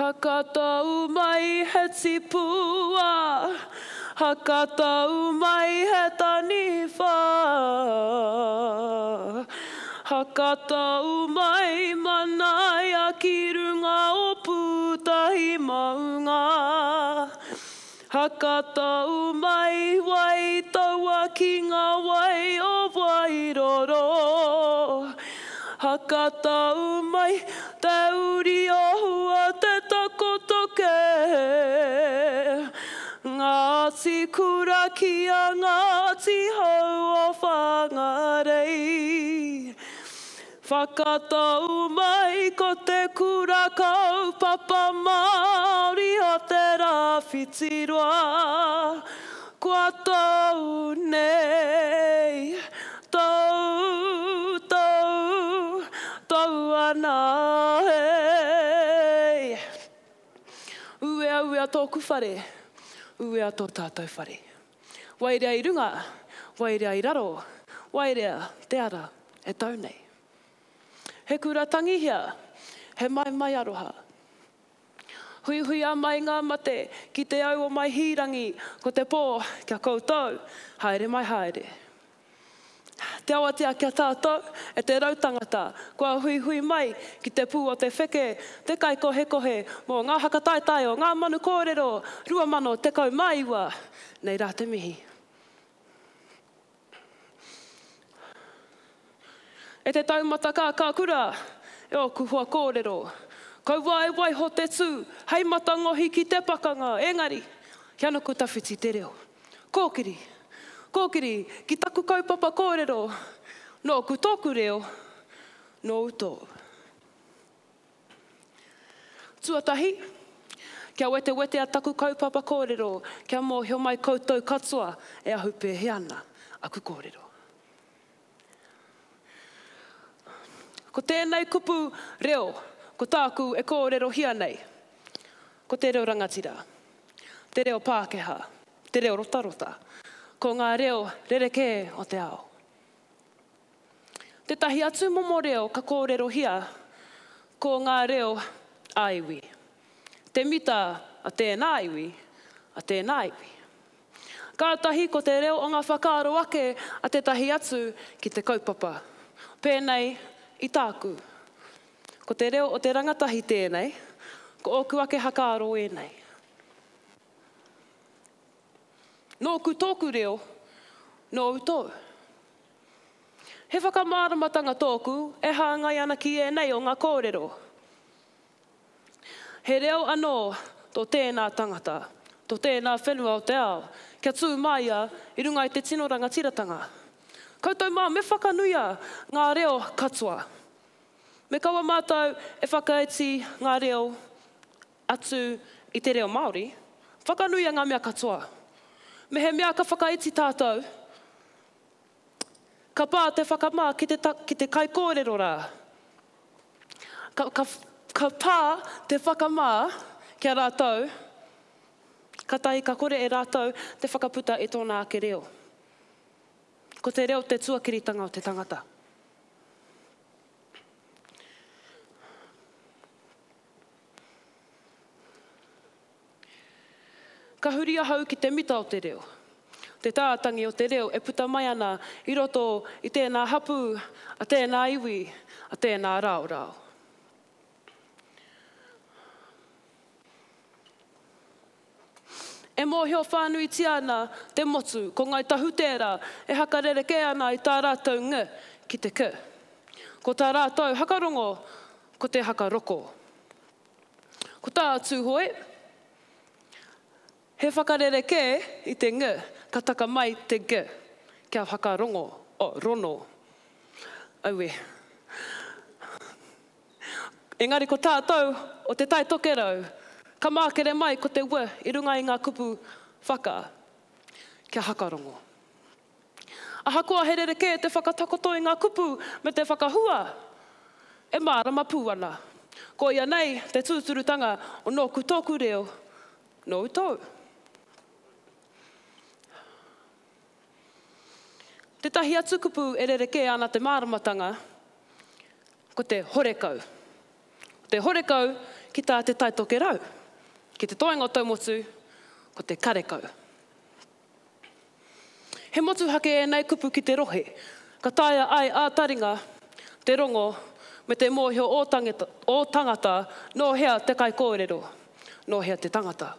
Hakatau mai he tipua, hakatau mai he taniwha. Hakatau mai manaia ki runga o Pūtahi maunga. Hakatau mai wai taua ki ngā wai o Wairoro. Hakatau mai te uri o Hua te takoto kē. Ngāti Kura ki a Ngāti Hau o Whangarei. Whakatau mai ko te kura kaupapa Māori o Te Rāwhitiroa kua tau nei, tau, tau, tau ana e. Uea, uea tōku whare, uea tō tātou whare. Wairea i runga, wairea i raro, wairea te ara e tau nei. He kura tangihia, he maimai aroha. Huihuia mai ngā mate ki te au o Maihīrangi, ko te pō kia koutou, haere mai haere. Te awatea kia tātou, e te rautangata, kua huihui mai ki te pū o te wheke, te kaikohekohe mō ngā hakataetae o Ngā Manu Kōrero 2019. Nei rā te mihi. E te taumata kākākura, e ōku hoa kōrero, kaua e waiho te tū hei matangohi ki te pakanga, engari, kia nuku tawhiti te reo. Kōkiri, kōkiri ki taku kaupapa kōrero, nōku tōku reo, nōu tōu. Tuatahi, kia wetewetea taku kaupapa kōrero kia mōhio mai koutou katoa e ahu pēhea ana aku kōrero. Ko tēnei kupu reo, ko tāku e kōrerohia nei, ko te reo rangatira, te reo Pākehā, te reo rotarota, ko ngā reo rerekē o te ao. Tētahi atu momo reo ka kōrerohia, ko ngā reo ā-iwi. Te mita a tēnā iwi, a tēnā iwi. Kātahi ko te reo o ngā whakaaro ake a tētahi atu ki te kaupapa. Pēnei i tāku. Ko te reo o te rangatahi tēnei, ko ōku ake hakaaro ēnei. Nōku tōku reo, nōu tōu. He whakamāramatanga tōku e hāngai ana ki ēnei o ngā kōrero. He reo anō tō tēnā tangata, tō tēnā whenua o te ao, kia tū māia i runga i te tino rangatiratanga. Koutou mā, me whakanuia ngā reo katoa. Me kaua mātou e whakaiti ngā reo atu i te reo Māori, whakanuia ngā mea katoa. Mehemea ka whakaiti tātou, ka pā te whakamā ki te, ki te kaikōrero rā. Ka, ka, ka pā te whakamā ki a rātou, katahi ka kore e rātou te whakaputa i tōna ake reo. Ko te reo te tuakiritanga o te tangata. Ka huri ahau ki te mita o te reo, te tātangi o te reo e puta mai ana i roto i tēnā hapū, a tēnā iwi, a tēnā raorao. E mōhio whānuitia ana te motu ko Ngāi Tahu tērā e hakarerekē ana i tā rātou ng ki te k. Ko tā rātou hakarongo ko te hakaroko. Ko tā Tūhoe, he whakarerekē i te ng ka taka mai te g kia hakarongo, oh, rono. Aue. Engari ko tātou o Te Tai Tokerau, ka mākere mai ko te w i runga i ngā kupu whaka, kia hakarongo. Ahakoa he rerekē te whakatakoto i ngā kupu me te whakahua, e mārama pū ana. Koia nei te tūturutanga o nōku tōku reo, nōu tōu. Tētahi atu kupu e rerekē ana te māramatanga, ko te horekau. Ko te horekau ki tā Te Tai Tokerau. Ki te toenga o Taumotu, ko te karekau. He motuhake ēnei kupu ki te rohe, ka taea ai ā-taringa te rongo me te mōhio ō tangata nō hea te kaikōrero, nō hea te tangata.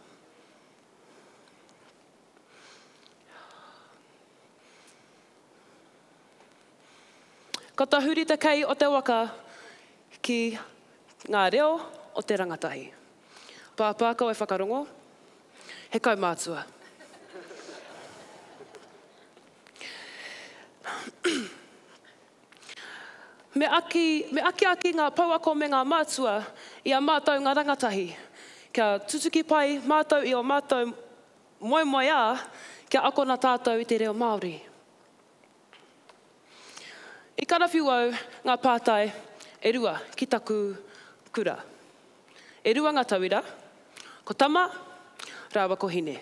Ka tahuri te kei o te waka ki ngā reo o te rangatahi. Pāpā kau e whakarongo, he kaumātua. Me aki, me akiaki ngā pouako me ngā mātua i a mātou ngā rangatahi, kia tutuki pai mātou i ō mātou moemoeā kia akona tātou i te reo Māori. I karawhiu au ngā pātai e rua ki taku kura. E rua ngā tauira, ko Tama rāua ko Hine.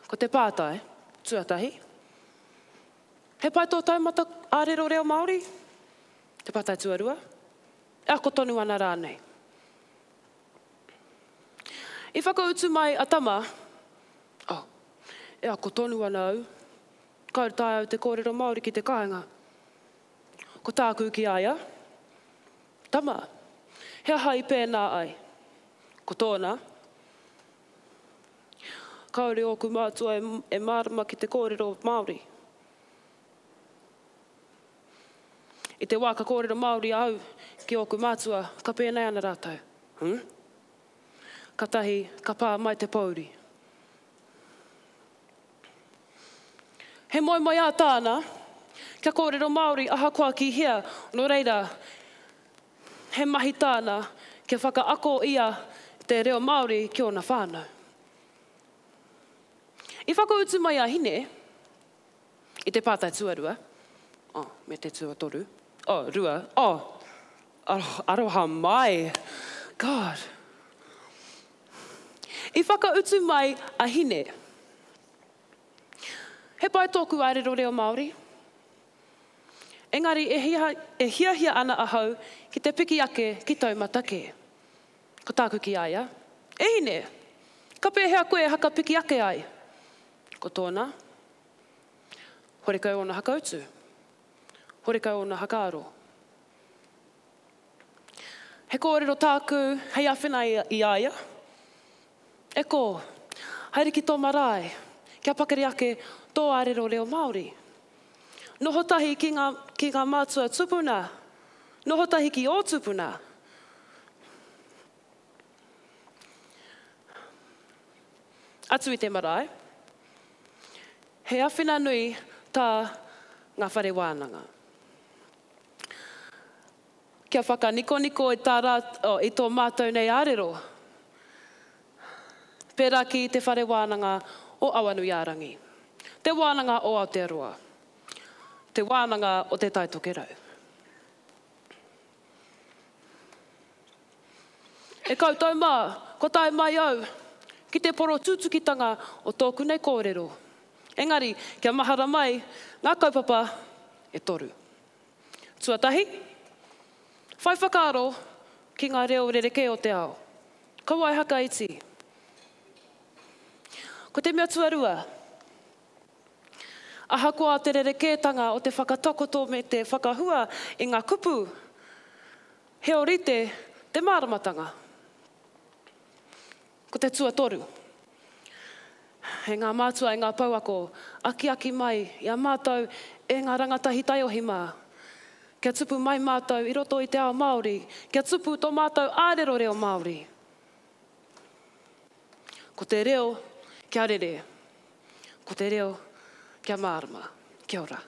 Ko te pātai tuatahi, He pai tō taumata ārero reo Māori? Te pātai tuarua, E ako tonu ana rānei? I whakautu mai a Tama, Oh, e ako tonu ana au. Kāore taea au te kōrero Māori ki te kāinga. Ko tāku ki a ia, Tama, he aha i pēnā ai? Ko tōna, Kāore ōku mātua e mārama ki te kōrero Māori. I te wā ka kōrero Māori au ki ōku mātua, ka pēnei ana rātou, Huh? Katahi ka pā mai te pōuri. He moemoeā tāna kia kōrero Māori ahakoa ki hea, nō reira, he mahi tāna kia whakaako ia te reo Māori ki ōna whānau. I whakautu mai a Hine i te pātai tuarua, oh, me te tuatoru, oh, rua, oh, aroha mai, God. I whakautu mai a Hine, He pai tōku ārero reo Māori, engari e e hiahia ana ahau ki te piki ake ki taumata kē. Ko tāku ki a ia, E Hine, ka pēhea koe e haka piki ake ai? Ko tōna, Horekau ōna hakautu, horekau ōna hakaaro. He kōrero tāku hei āwhina i a ia, E kō, haere ki tō marae, kia pakari ake tō ārero reo Māori. Noho tahi ki ngā, ki ngā mātua tupuna, noho tahi ki ō tupuna. Atu i te marae, he awhina nui tā ngā whare wānanga. Kia whakanikoniko i tā rā, oh, i tō mātou nei ārero, pērā ki Te Whare Wānanga o Awanuiārangi, Te Wānanga o Aotearoa, Te Wānanga o Te Tai Tokerau. E koutou mā, kua tae mai au ki te porotūtukitanga o tōku nei kōrero. Engari, kia mahara mai ngā kaupapa e toru. Tuatahi, whai whakaaro ki ngā reo rerekē o te ao. Kaua e hakaiti. Ko te mea tuarua, Ahakoa te rerekētanga o te whakatakoto me te whakahua i ngā kupu, he ōrite te māramatanga. Ko te tuatoru, e ngā mātua, e ngā pouako, akiaki mai i a mātou e ngā rangatahi taiohi mā, kia tupu mai mātou i roto i te ao Māori, kia tupu tō mātou ārero reo Māori. Ko te reo kia rere. Ko te reo kia mārama. Kia ora.